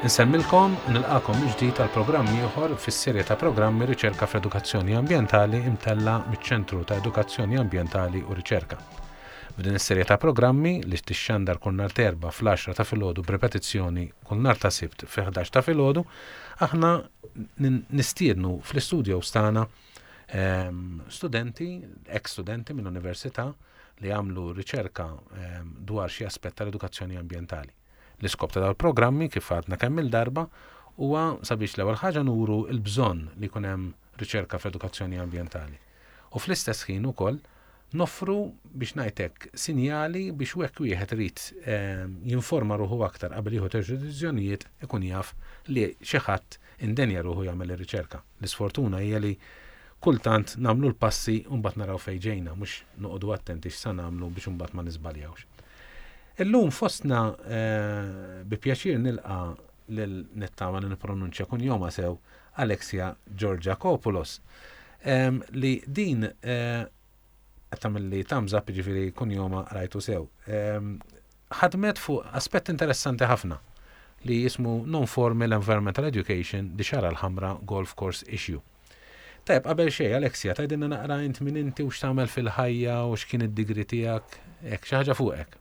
Insemmilkom u nilqakom mill-ġdid għal programm ieħor fis-serje ta' programmi Riċerka fl-Edukazzjoni Ambjentali imtella' miċ-Ċentru ta' Edukazzjoni Ambjentali u Riċerka. F'din is-serje ta' programmi, li tixxandar kull nhar t'Erbgħa fl-għaxra ta' filgħodu b'ripetizzjoni kull nhar ta' Sibt fi-ħdax ta' filgħodu, aħna nistiednu fl-istudios tagħna ehm, studenti, ex-studenti mill-università li għamlu riċerka ehm, dwar xi aspett tal-edukazzjoni ambjentali. L-iskop ta' dal-programmi, kif għadna kemm il-darba, huwa sabiex l-ewwel ħaġa nuru l-bżonn li jkun hemm riċerka fl-edukazzjoni ambjentali. U fl-istess ħin ukoll noffru, biex ngħid hekk, sinjali biex hekk wieħed irid jinforma ruħu aktar qabel jieħu ċertu deċiżjonijiet ikun jaf li xi ħadd indenja ruħu jagħmel ir-riċerka. L-isfortuna hija li kultant nagħmlu l-passi u mbagħad naraw fejn ġejna, mhux noqogħdu attenti x'sa nagħmlu biex imbagħad ma niżbaljawx. Illum fostna bi pjaċir nilqa' lil nittama li nippronunċja kunjomha sew Alexia Georgiakopoulos li din eh, qed tagħmel thumbs up jiġifieri kunjoma rajtu sew. Ħadmet fuq aspett interessanti ħafna li jismu Non-Formal Environmental Education di Xara l-Ħamra Golf Course Issue. Tajb, qabel xejn, Alexia, tgħidilna naqra int min inti u x'tagħmel fil-ħajja u x'kien id-digri tiegħek, hekk xi ħaġa fuqek.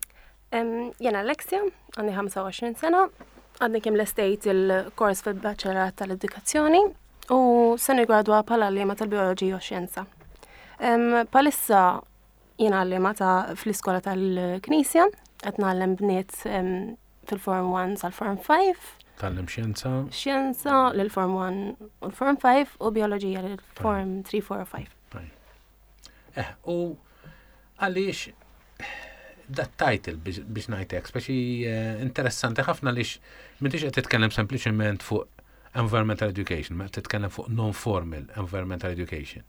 Jena Alexia, għandi 25 sena, għadni kemm lestejt il-kors fil-Baċellerat tal-Edukazzjoni u se nigradwa bħala għalliema tal-Bioloġija u Xjenza. Palissa jiena għalliema ta' fl-iskola tal-Knisja, qed ngħallem bniet fil-Form 1 sal-Form 5. Tgħallem xjenza? Xjenza lil-Form 1 u l-Form 5 u Bioloġija lil-Form 3, 4 u 5. Eh, u għaliex dat title biex ngħidlek, speċi eh, interessanti ħafna lix m'intix qed titkellem sempliċement fuq environmental education, ma titkellem fuq non-formal environmental education.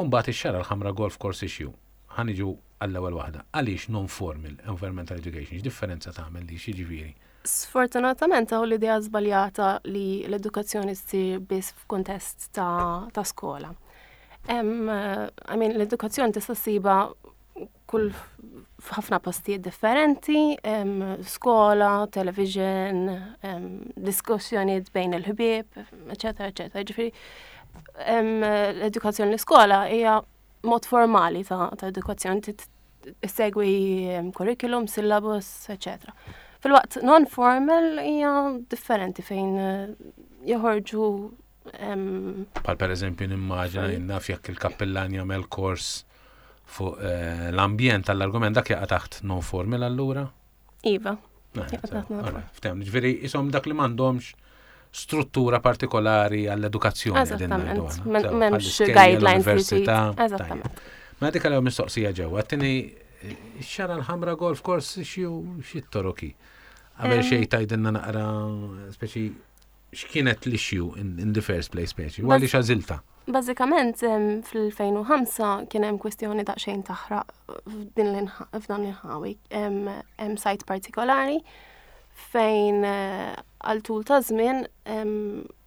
Umbagħad ix-xara l-ħamra golf course issue. Ħaniġu għall-ewwel waħda. Għaliex non-formal environmental education? X'differenza tagħmel li x'jiġifieri? Sfortunatament hawn l-idea żbaljata li l-edukazzjoni ssir biss f'kuntest ta', ta skola. I mean, l-edukazzjoni tista' ssiba kull f'ħafna postijiet differenti, skola, television, diskussjonijiet bejn il-ħbieb, eċetera, eċetera. Ġifieri l-edukazzjoni l-iskola hija mod formali ta', ta edukazzjoni segwi curriculum, syllabus, eċetera. Fil-waqt non-formal hija differenti fejn eh, joħorġu Pal per eżempju nimmaġina naf jekk il-kappillan jagħmel kors fuq eh, l-ambjent tal-argument dak jaqa' taħt non-formal allura? Iva. Eh, Ftem, ġifieri isom dak li m'għandhomx struttura partikolari għall-edukazzjoni. Eżattament, m'hemmx guidelines. Eżattament. Ma dik għal mistoqsija ġewwa, għattini xara l-ħamra golf course xi toroki. Qabel xejn tajdinna naqra speċi x'kienet l-issue in, in the first place speċi, u għaliex għażilta? Bażikament fl-2005 kien hemm kwestjoni daqsxejn taħraq f'dan l-inħawi. Hemm sajt partikolari fejn eh, għal tul ta' żmien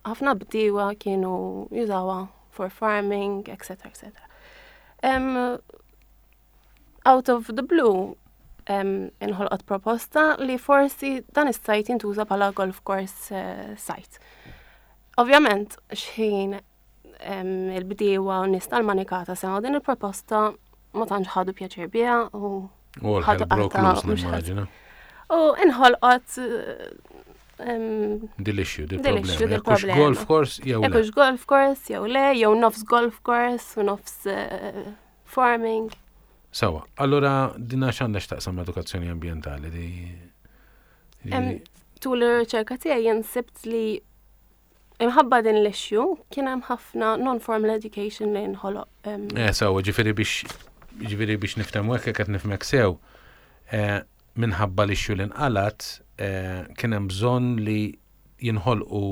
ħafna bdiewa kienu jużawha for farming, etc. etc. Out of the blue, inħolqot proposta li forsi dan is-sajt jintuża bħala golf course eh, site. Ovvjament, xħin il-bdiewa u nies tal-manikata semgħu din il-proposta ma tantx ħadu pjaċir biha u ħadu qatta. U inħolqot Dil-issue, dil-problema. Golf course jew le. golf course jew le, jew nofs golf course u nofs eh, farming. Sawa, allura dina x'għandha x'taqsam l-edukazzjoni ambjentali di. Tul ir-riċerka tiegħi jien sibt li imħabba din l-issue kien hemm ħafna non-formal education li nħoloq. Eh, sawa, ġifieri biex ġifieri biex niftehmu hekk qed nifhmek sew, eh, minħabba l-issue li nqalat eh, kien hemm bżonn li jinħolqu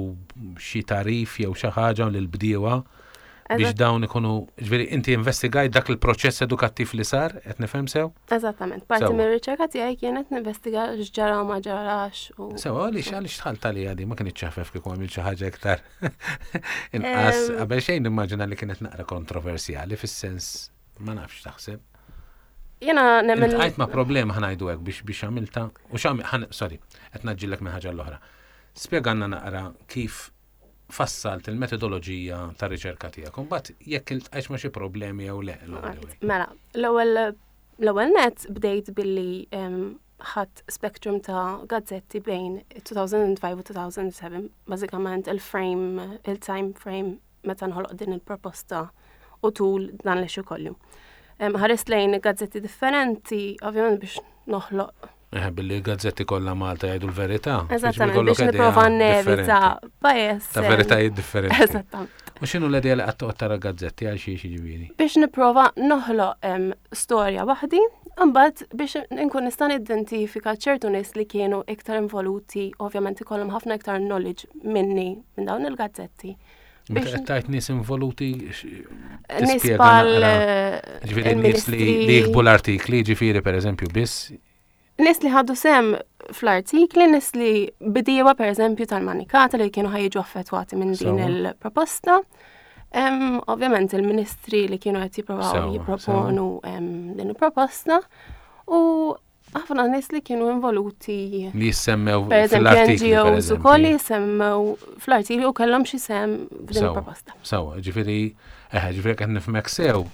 xi tagħrif jew xi ħaġa lill-bdiewa biex dawn ikunu, ġifieri inti investigajt dak il-proċess edukattiv li sar, qed nifhem sew? Eżattament, parti mir-riċerka tiegħi kienet ninvestiga x'ġara u ma ġarax. Sew, għaliex għaliex dħalt għalija di ma kienx ċafef kieku għamil xi ħaġa iktar inqas qabel xejn nimmaġina li kienet naqra kontroversjali fis-sens ma nafx taħseb. Jena nemmen. Għajt ma problema ħanajdu hekk biex biex għamilta u xam, sorry, qed naġġillek minn ħaġa l-oħra. Spjegalna naqra kif fassalt il-metodoloġija ta' riċerka tiegħek. Imbagħad jekk iltqajtx ma' xi problemi jew le. Mela, l-ewwel l-ewwel net bdejt billi ħadd spectrum ta' gazzetti bejn 2005 u 2007, bażikament il-frame, il-time frame meta nħoloq din il-proposta u tul dan l-issue kollu. Ħarist lejn gazzetti differenti, ovvjament biex noħloq Eh, billi l-gazzetti kollha Malta jgħidu l-verità. Eżattament, biex nipprova nevita bias. Ta' veritajiet differenti. Eżattament. U x'inhu l-idea li qatt toqgħod tara gazzetti għal xi jiġifieri? Biex nipprova noħloq storja waħdi, imbagħad biex nkun nista' nidentifika ċertu nies li kienu iktar involuti, ovvjament ikollhom ħafna iktar knowledge minni minn dawn il-gazzetti. Meta qed tgħid nies involuti nies bħal eh, ġifieri nies li jikbu l-artikli, ġifieri pereżempju biss. Nies li ħadu sem fl-artikli, nies li bidiewa pereżempju tal-manikata li kienu ħajġu affettwati minn din il-proposta. Ovvjament il-ministri li kienu qed jipprovaw jipproponu din il-proposta u ħafna nies li kienu involuti. Li jissemmew fl-artikli. NGOs ukoll li jissemmew fl-artikli u kellhom xi sem f'din il-proposta. Sawa, ġifieri, eħe, ġifieri qed nifhmek sew,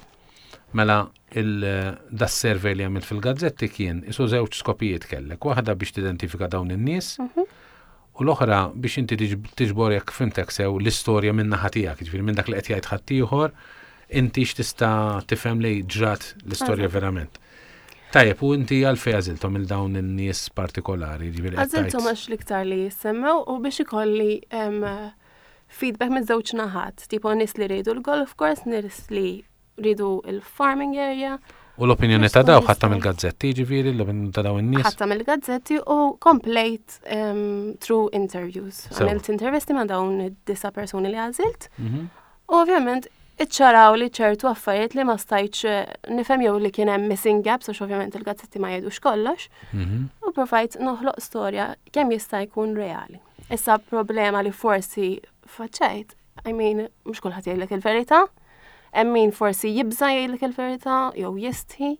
mela il-das survey li għamilt fil-gazzetti kien isu żewġ skopijiet kellek. Waħda biex tidentifika dawn in-nies, mhm. u l-oħra biex inti tiġbor jekk fimtek sew l-istorja minn naħa tiegħek, ġifieri minn dak li qed jgħid ħaddieħor, inti x'tista' tifhem li ġrat l-istorja verament. Tajjeb, u inti għalfejn għażilthom il dawn in-nies partikolari? Għażilthom għax l-iktar li jissemmew u biex ikolli feedback minn żewġ naħat, tipo nies li rridu l-golf course, nies li rridu il-farming area. U l-opinjoni ta' daw ħatta mill-gazzetti, ġifieri, l-opinjoni ta' daw in-nies? Ħatta mill-gazzetti u komplejt through interviews. Għamilt intervisti ma' dawn id-disa persuni li għażilt. Mhm. U ovvjament iċċaraw li ċertu affarijiet li ma stajtx eh, nifhem jew li kien hemm missing gaps għax ovvjament il-gazzetti ma jgħidux kollox. Mhm. U provajt noħloq storja kemm jista' jkun reali. Issa problema li forsi faċċajt, I mean, mhux kulħadd jgħidlek il-verità, hemm min forsi jibża jgħidlek il-verità jew jistħi,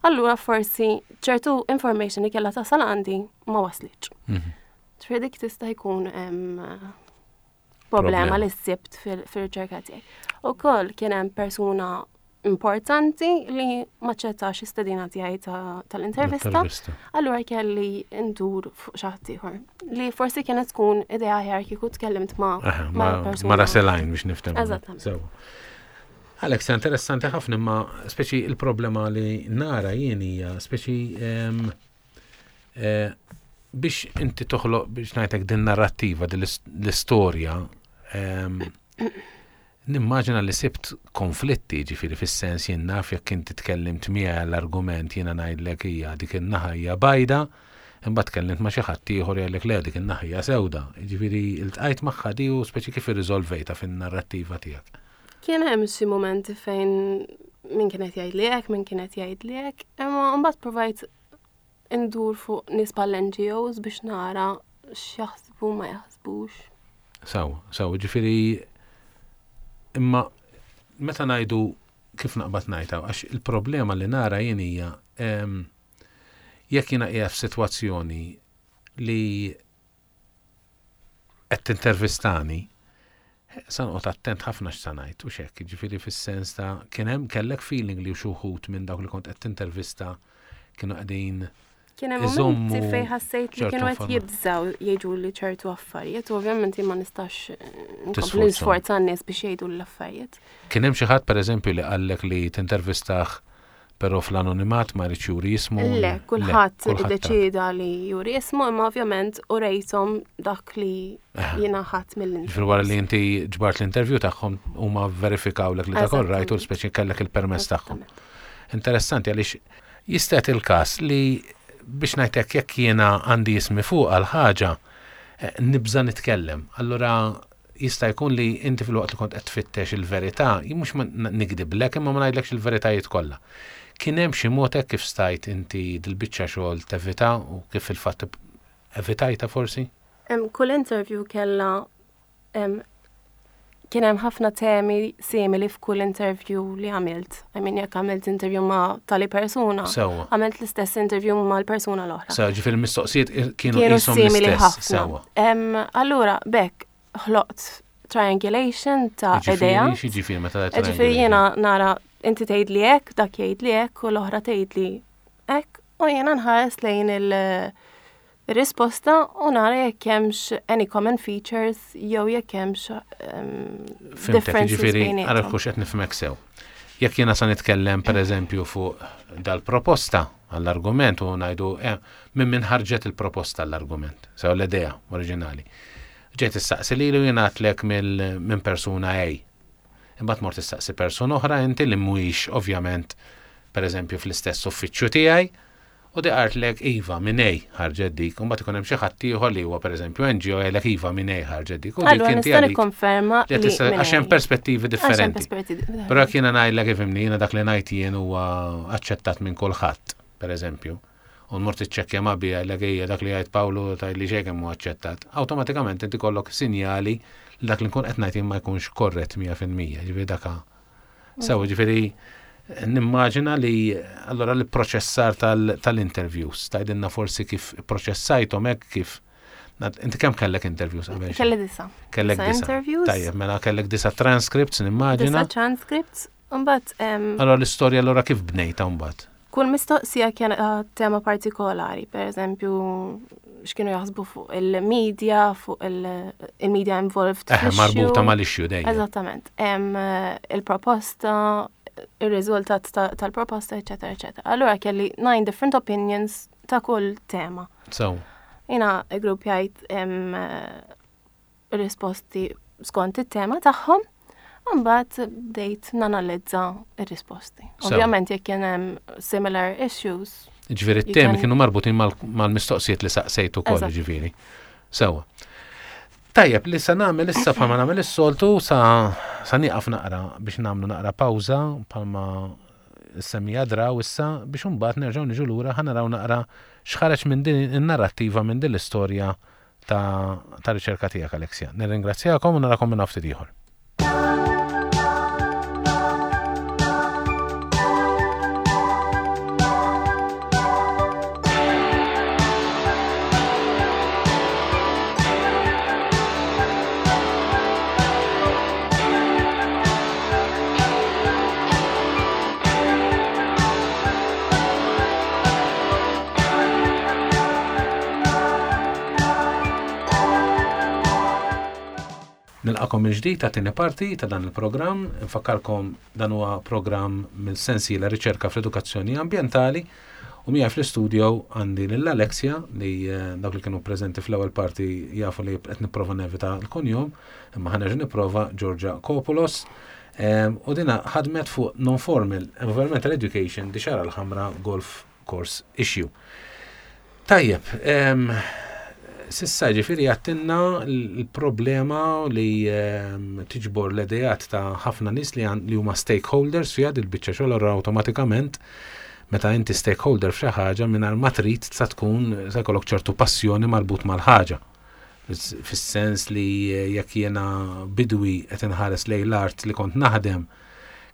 allura forsi ċertu information li kellha tasal għandi ma waslitx. Mhm. Ġifieri dik tista' jkun problema li sibt fil-riċerka tiegħi. Ukoll kien hemm persuna importanti li ma ċettax istedina tiegħi tal-intervista. Allura kelli ndur fuq xi ħadd ieħor. Li forsi kienet tkun idea aħjar kieku tkellimt ma' ma' persuna. Ma' Raselajn biex niftem. Eżattament. Alex, interessanti ħafna imma speċi il-problema li nara jien hija speċi ehm, Eh, biex inti toħloq biex ngħidlek din narrattiva, din l-istorja, ehm, nimmaġina li sibt konflitti ġifiri fis-sens jien naf jekk inti tkellimt miegħi l-argument jiena ngħidlek hija dik in-naħa hija bajda, imbagħad tkellimt ma' xi ħadd ieħor jgħidlek le dik in-naħa hija sewda. Ġifieri iltqajt magħha di u speċi kif irriżolvejta fin-narrattiva tiegħek. Kien hemm xi mumenti fejn min kien qed jgħidli hekk, min kien qed jgħidli hekk, imma mbagħad provajt indur fuq nies bħall-NGOs biex nara x'jaħsbu ma jaħsbux. Saw, saw, ġifieri imma meta ngħidu kif naqbad ngħidha, għax il-problema li nara jien hija jekk jiena qiegħed f'sitwazzjoni li qed tintervistani, sa noqgħod attent ħafna x'sa ngħid u x'hekk, jiġifieri fis-sens ta' kien hemm kellek feeling li xi wħud minn dawk li kont qed tintervista kienu qegħdin Kien hemm momenti fejn ħassejt li kienu qed jibżgħu jgħidu li ċertu affarijiet, u ovvjament jien ma nistax nkompli nisforza n-nies biex jgħidu l-affarijiet. Kien hemm xi ħadd pereżempju li qallek li tintervistah Però fl-anonimat ma jridx juri ismu. Le, kulħadd iddeċieda li juri ismu, imma ovvjament urejthom dak li jiena ħadd mill-interview. Ġifieri wara li inti ġbart l-interview tagħhom huma verifikawlek li dak all right u speċi kellek il-permess tagħhom. Interessanti għaliex jista' jagħti l-każ li biex ngħid hekk jekk jiena għandi ismi fuq għal ħaġa eh, nibża' nitkellem. Allura jista' jkun li inti filwaqt li kont qed tfittex il-verità, jien mhux nigdiblek imma ma ngħidlekx il-veritajiet kollha. Kien hemm xi mod hekk kif stajt inti dil-biċċa xogħol tevita u kif fil-fatt evitajtha forsi? Kull interview kellha Kien hemm ħafna temi simili f'kull interview li għamilt. I mean, jekk għamilt interview ma' tali persuna, għamilt l-istess interview ma' l-persuna l-oħra. Sewa, ġifieri mistoqsijiet kienu simili ħafna. Sewa. Allura, bekk ħloqt triangulation ta' idea. Ġifieri meta Ġifieri jiena nara inti tgħid li hekk, dak jgħid li hekk u l-oħra tgħid li hekk u jiena nħares lejn il- risposta u nara jekk hemmx any common features jew jekk hemmx differences. Ġifieri, ara kux qed nifhmek sew. Jekk jiena sa nitkellem pereżempju fuq dal-proposta għall-argument u ngħidu eh, minn min ħarġet il-proposta għall-argument, sew l-idea oriġinali. Ġejt issaqsi lilu jiena għatlek minn persuna A. Imbagħad mort issaqsi persuna oħra inti li mhuwiex ovvjament pereżempju fl-istess uffiċċju tiegħi U di qaltlek iva minn A ħarġet dik, u mbagħad ikun hemm xi ħadd ieħor li huwa pereżempju NGO jgħidlek iva minn A ħarġet dik. U dik inti nikkonferma li għax hemm perspettivi differenti. Però jekk jiena ngħidlek ifhimni jiena dak li ngħid jien huwa aċċettat minn kulħadd, pereżempju, u nmur tiċċekkja ma' bija jgħidlek ejja dak li jgħid Pawlu tgħidli xejn kemm huwa aċċettat. Awtomatikament inti kollok sinjali li dak li nkun qed ngħid jien ma jkunx korrett 100%. Ġifieri dak Sew, ġifieri nimmaġina li allora l-proċessar tal-interviews, tgħidilna forsi kif proċessajthom hekk kif Inti kemm kellek interviews qabel? Kelli disa. Kellek disa. Interviews. Tajjeb, mela kellek disa transcripts nimmaġina. Disa transcripts, mbagħad. Allora l-istorja allora kif bnejta mbagħad? Kull mistoqsija kien eh, tema partikolari, per eżempju, x'kienu jaħsbu fuq il-media, fuq il-media involved. Eh, marbuta mal-issue dejjem. Eżattament. Eh, il-proposta, il-riżultat tal-proposta, eccetera, eccetera. Allura kelli nine different opinions ta' kull tema. So. Jina grupp jgħid eh, risposti skont it-tema tagħhom, mbagħad bdejt nanalizza r-risposti. Ovvjament jekk kien hemm similar issues. Ġifieri t-temi kienu marbutin mal-mistoqsijiet li saqsejt ukoll, ġifieri. Sewa. Tajjeb, li sa nagħmel issa bħalma nagħmel is-soltu sa sa nieqaf naqra biex nagħmlu naqra pawża bħalma semmija draw issa biex imbagħad nerġgħu niġu lura ħa naraw naqra x'ħareġ minn din in-narrattiva minn din l-istorja ta' ta' riċerka tiegħek Alexia. Nirringrazzjakom u narakom minn ftit ieħor. Nilqakom mill-ġdid ta' tieni parti ta' dan il-programm. Infakkarkom dan huwa programm mill-sensiela riċerka fl-edukazzjoni ambjentali u miegħi fl-istudio għandi lil Alexia li eh, dawk li kienu preżenti fl-ewwel parti jafu li qed nipprova nevita l-kunjom, imma ħanerġa' nipprova Georgia Kopulos. Eh, u dina ħadmet fuq non-formal environmental education di xara l-ħamra golf course issue. Tajjeb, sissa ġifiri għattinna l-problema li tiġbor l-idejat ta' ħafna nis li huma stakeholders fiha dil-biċċa xogħol allura awtomatikament meta inti stakeholder f'xi ħaġa mingħajr ma trid sa tkun sa jkollok ċertu passjoni marbut mal-ħaġa. Fis-sens li jekk jiena bidwi qed inħares lejn l-art li kont naħdem,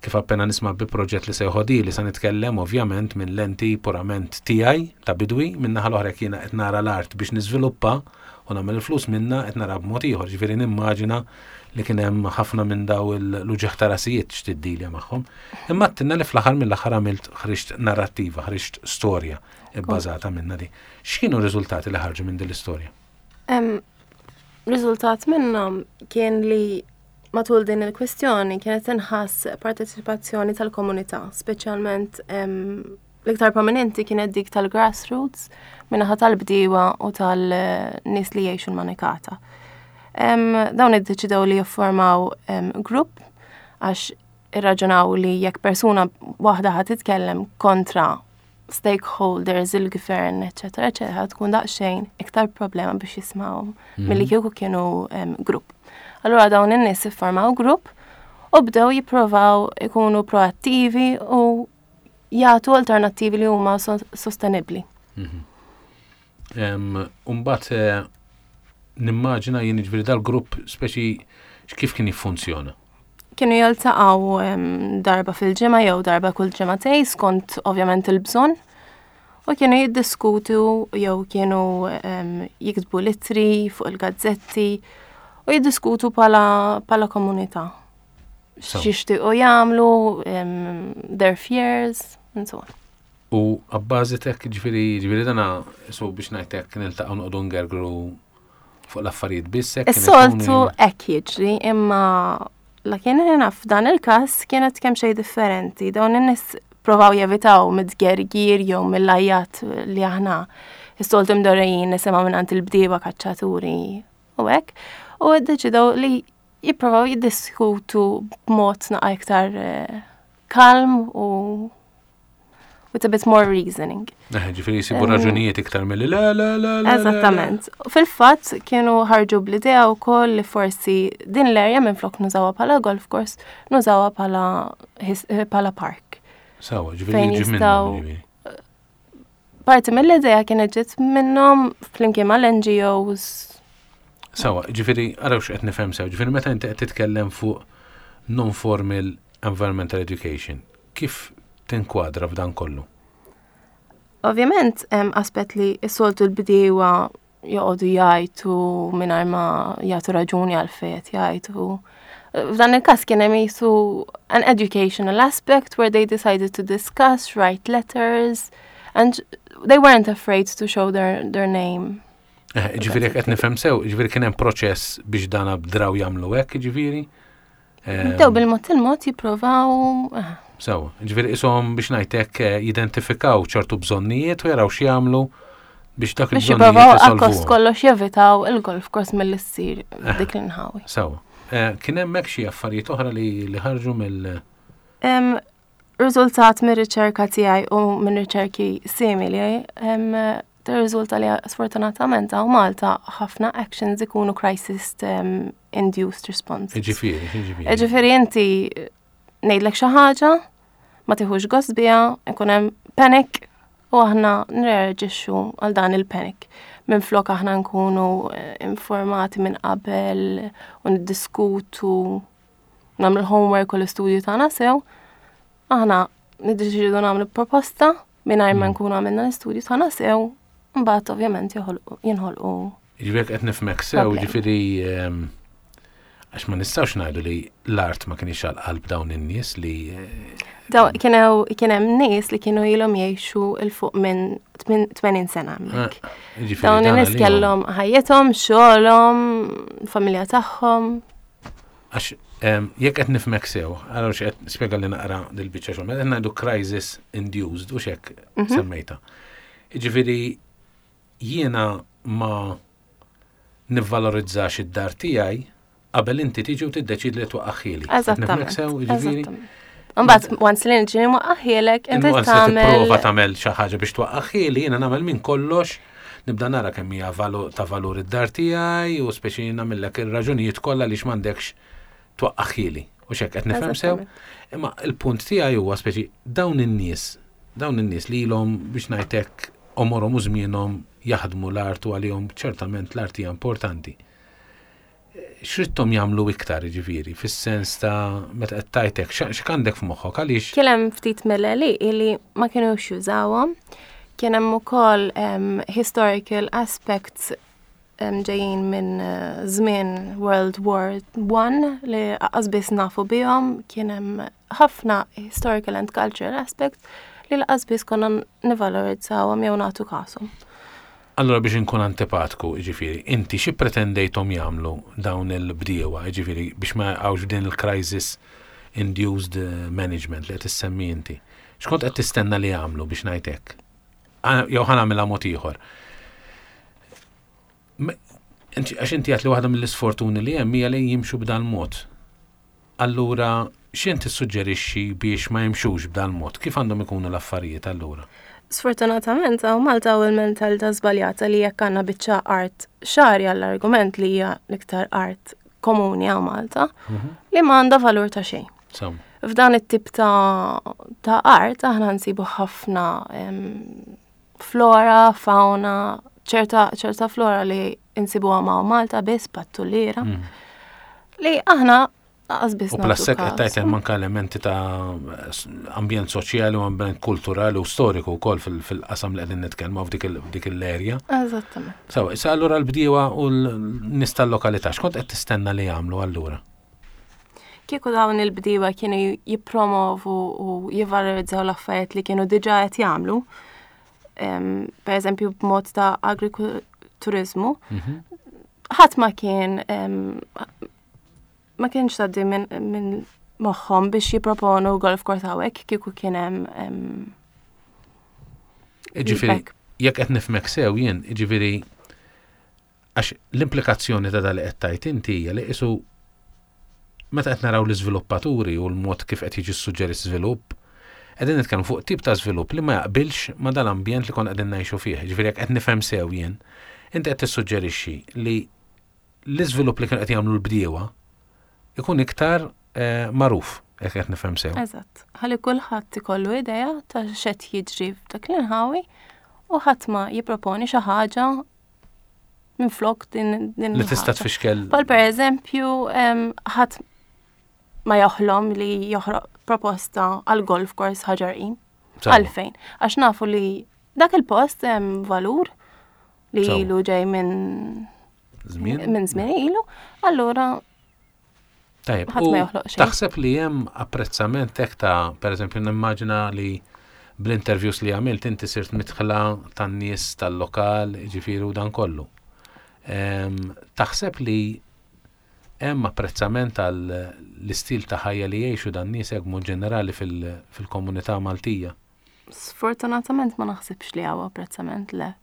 kif appena nisma' bi proġett li se joħodili sa nitkellem ovvjament minn lenti purament tiegħi ta' bidwi, min-naħa l-oħra jekk jiena qed nara l-art biex niżviluppa u nagħmel il-flus minnha qed nara b'mod ieħor, ġifieri nimmaġina li kien hemm ħafna minn daw l-uġigħ ta' rasijiet x'tiddilja magħhom. Imma għedtilna li fl-aħħar mill-aħħar għamilt ħriġt narrattiva, ħriġt storja bbażata minnha di. X'kienu r-riżultati li ħarġu minn din l-istorja? Riżultat minnhom kien li matul din il-kwistjoni kienet tinħass parteċipazzjoni tal-komunità, speċjalment l-iktar prominenti kienet dik tal-grassroots minnaħa tal-bdiewa u tal-nies li jgħixu l-manikata. Dawn iddeċidew li jiffurmaw grupp għax irraġunaw li jekk persuna waħda ħa titkellem kontra stakeholders, il-gvern, eċetera, eċetera, tkun daqsxejn iktar problema biex jismawhom mm. milli kieku kienu grupp. Allura dawn in-nies iffurmaw grupp u bdew jipprovaw ikunu proattivi u jagħtu alternattivi li huma sostenibbli. Mhm. Umbat eh, nimmaġina jien ġifieri dal-grupp speċi Kif kien jiffunzjona? Kienu jiltaqgħu darba fil-ġimgħa jew darba kull ġimgħatej skont ovvjament il-bżonn. U kienu jiddiskutu jew kienu jiktbu litri fuq il-gazzetti u jiddiskutu pala komunità. X'jixtiequ jagħmlu, their fears, and so on. U għabbażi tek, ġifieri, ġifieri dana, so biex ngħidlek niltaqgħu noqogħdu ngergru fuq l-affarijiet biss. Is-soltu hekk jiġri, imma la kien naf f'dan il-każ kienet kemm xejn differenti. Dawn in-nies provaw jevitaw mid-gergir jew mill-ajjat li aħna is-soltu mdorrejjin nisimgħu minn il-bdiewa kaċċaturi u hekk. U ddeċidew li jipprovaw jiddiskutu b'mod naqa iktar eh, kalm u with a bit more reasoning. Eh, ġifieri jisibu raġunijiet iktar milli le, le, le, le. Eżattament. Fil-fatt kienu ħarġu bl-idea wkoll li forsi din l-area minn flok nużawha bħala golf course, nużawha bħala eh, bħala park. Sawa, ġifieri jiġi minnhom. Parti mill-idea kienet ġiet minnhom flimkien mal-NGOs. Sawa, ġifieri araw x'qed nifhem sew, ġifieri meta inti qed titkellem fuq non-formal environmental education, kif tinkwadra f'dan kollu? Ovvjament, hemm aspett li s-soltu l-bdiewa joqogħdu jgħajtu mingħajr ma jagħtu raġuni għal fejn jgħajtu. F'dan il-każ kien hemm jisu an educational aspect where they decided to discuss, write letters, and they weren't afraid to show their, their name. Eh, ġifieri qed nifhem sew, ġifieri kien hemm proċess biex dan bdraw jagħmlu hekk, ġifieri. Bdew bil-mod il-mod jipprovaw. Eh. Sew, ġifieri ishom biex ngħidlek eh, jidentifikaw ċertu bżonnijiet u jaraw x'jagħmlu biex dak il-bżonnijiet. Biex jipprovaw akkost kollox jevitaw il-golf course mill-issir eh, dik l-inħawi. Sew, kien hemmhekk xi affarijiet oħra li ħarġu mill- Riżultat mir-riċerka tiegħi u minn riċerki simili, tirriżulta li sfortunatament hawn Malta ħafna actions ikunu crisis induced response. Ġifieri, ġifieri. Ġifieri inti ngħidlek xi ħaġa, ma tieħux gost biha, ikun hemm panic u aħna nreaġixxu għal dan il-panic. Minflok aħna nkunu eh, informati minn qabel u niddiskutu nagħmlu l-homework u l-istudju tagħna sew, aħna niddeċidu nagħmlu proposta mingħajr ma mm. nkunu għamilna l-istudju tagħna sew, mbagħad ovvjament jinħolqu. Ġifieri qed nifhmek sew, ġifieri ehm, għax ma nistgħux ngħidu li l-art ma kienx għal qalb dawn in-nies li eh, Daw kien hemm nies li kienu ilhom jgħixu il fuq minn 80 sena hemmhekk. Ah, dawn in-nies kellhom ħajjithom, xogħolhom, familja tagħhom. Għax jekk qed nifhmek sew, għara x'qed spjega li naqra dil-biċċa xogħol, meta ngħidu crisis induced u xek mhm. semmejta. Jiġifieri jiena ma nivvalorizzax id-dar tiegħi qabel inti tiġi u tiddeċidi li twaqqaħħieli. Eżattament. Sew, jiġifieri. Mbagħad once li nġi nwaqqaħħielek, inti tagħmel. Prova tagħmel xi ħaġa biex twaqqaħħieli, jiena nagħmel minn kollox nibda nara kemm hija ta' valur id-dar tiegħi u speċi nagħmillek ir-raġunijiet kollha li m'għandekx twaqqaħħieli. U xek qed nifhem sew. Imma il-punt tiegħi huwa speċi dawn in-nies, dawn in-nies li ilhom biex ngħidlek għomorhom u żmienhom jaħdmu l-art u għalihom ċertament l-art hija importanti. X'ridthom jagħmlu iktar jiġifieri, fis-sens ta' meta qed tgħid hekk, x'għandek f'moħħok għaliex? Kien hemm ftit mill-għelieqi li ma kinux jużawhom. Kien hemm ukoll historical aspects ġejjin minn eh, żmien World War I li aqas biss nafu bihom, kien hemm ħafna historical and cultural aspects li laqas biss konna nivalorizzawhom jew nagħtu kashom. Allura biex inkun antipatku, jiġifieri, inti xi pretendejthom jagħmlu dawn il-bdiewa, jiġifieri biex ma jaqgħux f'din il-crisis induced management li qed issemmi inti? X'kont qed tistenna li jagħmlu biex ngħid hekk? Jew ħa nagħmilha mod ieħor. Għax inti għedt li waħda mill-isfortuni li hemm hija li jimxu b'dan mod. Allura, x'int tissuġġerixxi biex ma jimxux b'dan mod? Kif għandhom ikunu l-affarijiet allura? Sfortunatament hawn Malta hawn il-mentalità żbaljata li jekk għandna biċċa art xagħri għall-argument li hija l-iktar art komuni hawn Malta, mhm. li ma għandha valur ta' xejn. F'dan it-tip ta', ta art aħna nsibu ħafna flora, fauna, ċerta, ċerta flora li insibuha ma' Malta biss pattuliera. Mm. Li aħna Aqas biss. U plus hekk qed tgħid hemm anke elementi ta' ambjent soċjali u ambjent kulturali u storiku wkoll fil-qasam li qegħdin nitkellmu f'dik l-erja. Eżattament. Sawa, issa allura l-bdiewa u l-nies tal-lokalità x'kont qed tistenna li jagħmlu allura? Kieku dawn il-bdiewa kienu jippromovu u jivvalorizzaw l-affarijiet li kienu diġà qed jagħmlu, per eżempju b'mod ta' agrikuturizmu, mhm. ħadd ma kien ma kienx tgħaddi minn min moħħhom biex jipproponu golf course hawnhekk kieku kien hemm Ġifieri, jekk qed nifhmek sew jien, ġifieri għax l-implikazzjoni ta' dal qed tajt inti hija li qisu meta qed naraw l-iżviluppaturi u l-mod kif qed jiġi suġġeri żvilupp, qegħdin nitkellmu fuq tip ta' żvilupp li ma jaqbilx ma dal-ambjent li konna qegħdin ngħixu fih. Ġifieri jekk qed nifhem sew jien, inti qed tissuġġerixxi li l-iżvilupp li kienu qed jagħmlu l-bdiewa ikun iktar eh, magħruf, jekk qed nifhem sew. Eżatt. Ħalli kulħadd ikollu idea ta' x'qed jiġri f'dak l-inħawi u ħadd ma jipproponi xi ħaġa minflok din din Li tista' tfixkel. Bħal pereżempju ħadd ma joħlom li joħroq proposta għal golf course Ħaġar Qim. Għalfejn? Għax nafu li dak il-post hemm valur li ilu ġej minn żmien minn żmien ilu, allura Tajjeb, ħadd ma joħloq xejn. Taħseb li hemm apprezzament hekk ta' pereżempju nimmaġina li bl-interviews li għamilt inti sirt midħla tan-nies tal-lokal, ġifieri u dan kollu. Taħseb li hemm apprezzament għal l-istil ta' ħajja li jgħixu dan nies hekk mod ġenerali fil-komunità Maltija? Sfortunatament ma naħsibx li hawn apprezzament le.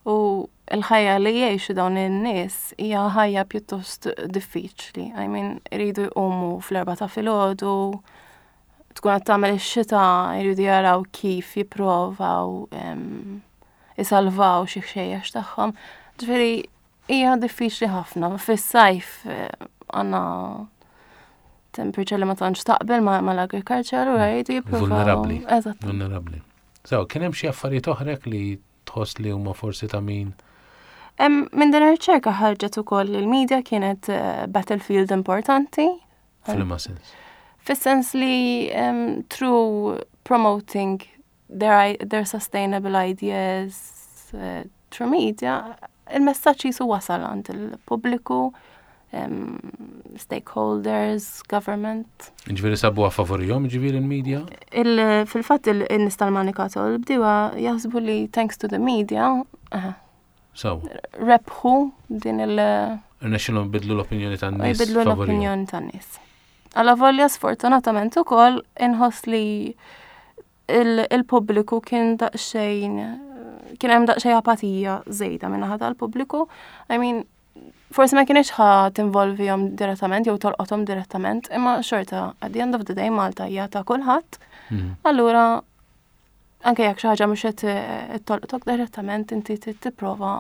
U l-ħajja li jgħixu dawn in-nies hija ħajja pjuttost diffiċli. I mean, iridu jqumu fl-erba ta' filgħodu, tkun qed tagħmel ix-xita, jridu jaraw kif jipprovaw isalvaw xi ħxejjex tagħhom. Ġifieri Hija diffiċli ħafna. Fis-sajf eh, għandna temperature li ma tantx taqbel mal-agriculture u jridu jippruvaw. Vulnerabbli. Eżatt. Vulnerabbli. So, kien hemm xi affarijiet oħra li tħoss li huma forsi ta' min? Minn din ir-riċerka ħarġet ukoll li l-media kienet eh, battlefield importanti. F'liema sens? Fis-sens li um, through promoting their, their sustainable ideas uh, through media, il-messaġġ jisu wasal għand il-pubbliku, um, stakeholders, government. Ġviri sabu a favorijom, ġviri il-media? Il, Fil-fat il-nis tal-manikato l-bdiwa jaħsbu li thanks to the media, uh, so. rebħu din il- Rnexxilhom bidlu l-opinjoni tan-nies. Bidlu l-opinjoni tan-nies. Alla volja sfortunatament ukoll inħoss li il-pubbliku kien daqsxejn kien hemm daqsxejn apatija żejda min-naħa tal-pubbliku. I mean, forsi ma kienx ħa tinvolvihom direttament jew tolqothom direttament, imma xorta at the end of the day Malta hija ta' kulħadd. Mm. Allura anke jekk xi ħaġa mhux qed tolqtok direttament inti tipprova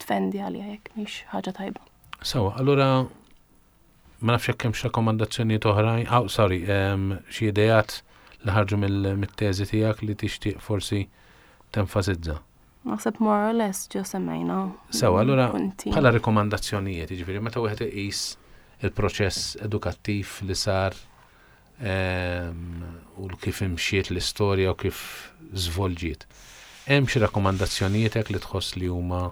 tfendi għaliha jekk mhix ħaġa tajba. Sawa, allura Ma nafx jekk hemmx rakkomandazzjonijiet oħrajn, oh, sorry, xi ideat li ħarġu mill-teżi tiegħek li tixtieq forsi tenfasizza. Naħseb more or less ġo semmejna. Sewa, allura bħala rikomandazzjonijiet, jiġifieri meta wieħed iqis il-proċess edukattiv li sar u kif imxiet l-istorja u kif żvolġiet. Hemm xi rakkomandazzjonijiet hekk li tħoss li huma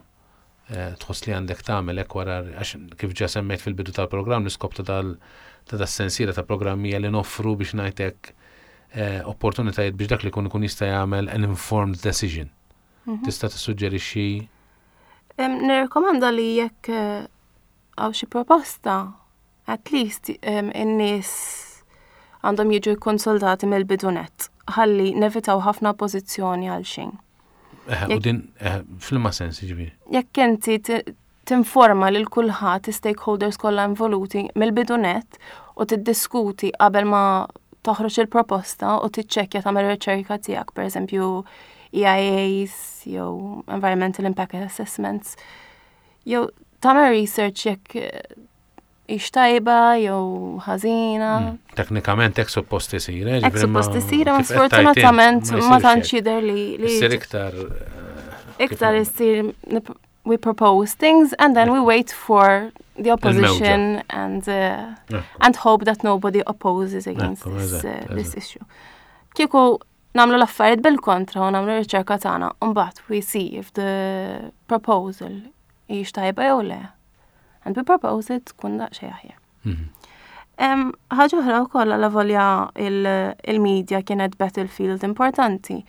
Eh, tħoss li għandek tagħmel hekk wara għax kif ġa semmejt fil-bidu tal-programm l-iskop ta' dal ta' das-sensiela ta' programmi li noffru biex ngħidlek eh, opportunitajiet biex dak li jkun ikun jista' jagħmel an informed decision. Mhm. Tista' tissuġġerixxi Nirrekomanda li jekk eh, għaw xi proposta, at least in-nies għandhom jiġu konsultati mill-bidunet ħalli nevitaw ħafna oppożizzjoni għal xejn. Eh, u din eh, fl-ma sens ġifieri. Jekk inti tinforma lil kulħadd stakeholders kollha involuti mill-bidunet u tiddiskuti qabel ma toħroġ il-proposta u tiċċekkja tagħmel riċerka tiegħek, pereżempju EIAs jew Environmental Impact Assessments, jew tagħmel research jekk hix tajba jew ħażina. Mm, teknikament hekk suppost isir, eh, Hekk suppost isir, ma sfortunatament ma tantx jidher li li. Isir iktar. Eh, iktar isir. we propose things and then we wait for the opposition and uh, and hope that nobody opposes against this, uh, this issue. Kieku nagħmlu l-affarijiet bil-kontra u nagħmlu riċerka tagħna u mbagħad we see if the proposal hijiex tajba jew le. And we propose it tkun daqsxejn aħjar. Mhm. Ħaġa oħra wkoll għala volja il-media kienet battlefield importanti.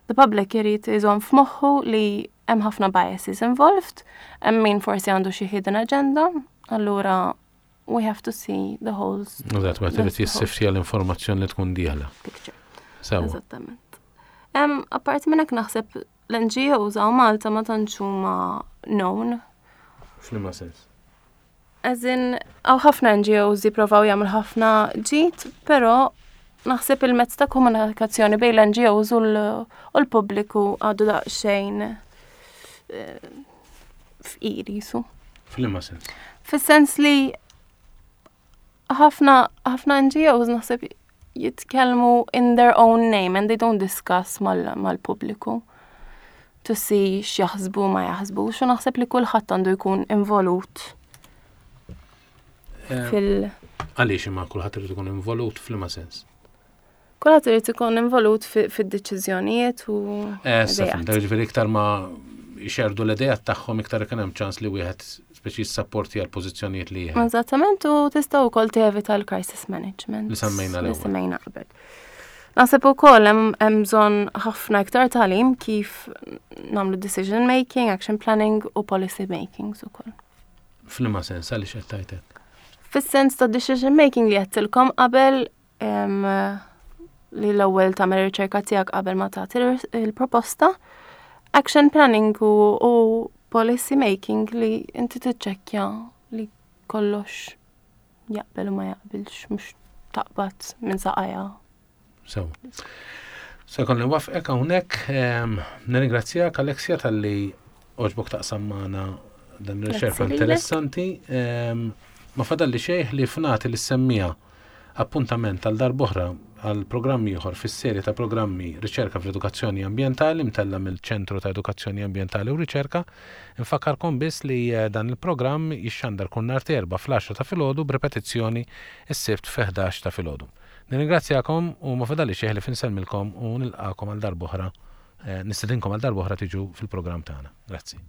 The public irid iżomm f'moħħu li hemm ħafna biases involved, hemm min forsi għandu xi hidden agenda, allura we have to see the whole Eżatt, wieħed irid jissiftja l-informazzjoni li tkun dieħla. Picture. Eżattament. Apparti minn hekk naħseb l-NGOs hawn Malta ma tantx huma known. F'liema sens? As in, hawn ħafna NGOs jipprovaw jagħmlu ħafna ġid, però naħseb il-mezz ta' komunikazzjoni bejn l-NGOs u l-pubbliku għadu daqsxejn eh, fqir jisu. F'liema sens? Fis-sens li ħafna ħafna NGOs naħseb jitkellmu in their own name and they don't discuss mal-pubbliku to see x'jaħsbu ma jaħsbux u naħseb li kulħadd għandu jkun involut eh, fil Għaliex imma kulħadd irid ikun involut f'liema sens? Kulħadd irid ikun involut fid-deċiżjonijiet u. Eh, ġifieri iktar ma jxerdu l-idejat tagħhom iktar ikun hemm ċans li wieħed speċi jissapporti għal pożizzjonijiet li jieħu. Eżattament u tista' wkoll tevita l-crisis management. Li semmejna l Li semmejna qabel. Naħseb ukoll hemm bżonn ħafna iktar tagħlim kif nagħmlu decision making, action planning u policy making ukoll. F'liema sens għaliex qed tgħidek? Fis-sens ta' decision making li għedtilkom qabel li l-ewwel tagħmel riċerka tiegħek qabel ma tagħti il-proposta. Action planning u, u policy making li inti tiċċekkja li kollox jaqbel u ma jaqbilx mhux taqbad minn saqajja. So. Se jkolli nwafqek hawnhekk, nirringrazzjak Alexia talli għoġbok taqsam magħna dan ir-riċerka interessanti. Ma fadalli xejn li fnati li semmija appuntament għal darb'oħra għal programm ieħor fis-serje ta' programmi Riċerka fl-Edukazzjoni Ambjentali mtella' mill-Ċentru ta' Edukazzjoni Ambjentali u Riċerka. Infakkarkom biss li eh, dan il-programm jixxandar kull nhar t'Erbgħa fl-10 ta' filgħodu b'ripetizzjoni s-Sibt fi 11 ta' filgħodu. Nirringrazzjakom u ma fadalli xejn ħlief insellmilkom u nilqagħkom għal darb'oħra, nistedinkom għal darb'oħra tiġu fil-programm tagħna. Grazzi.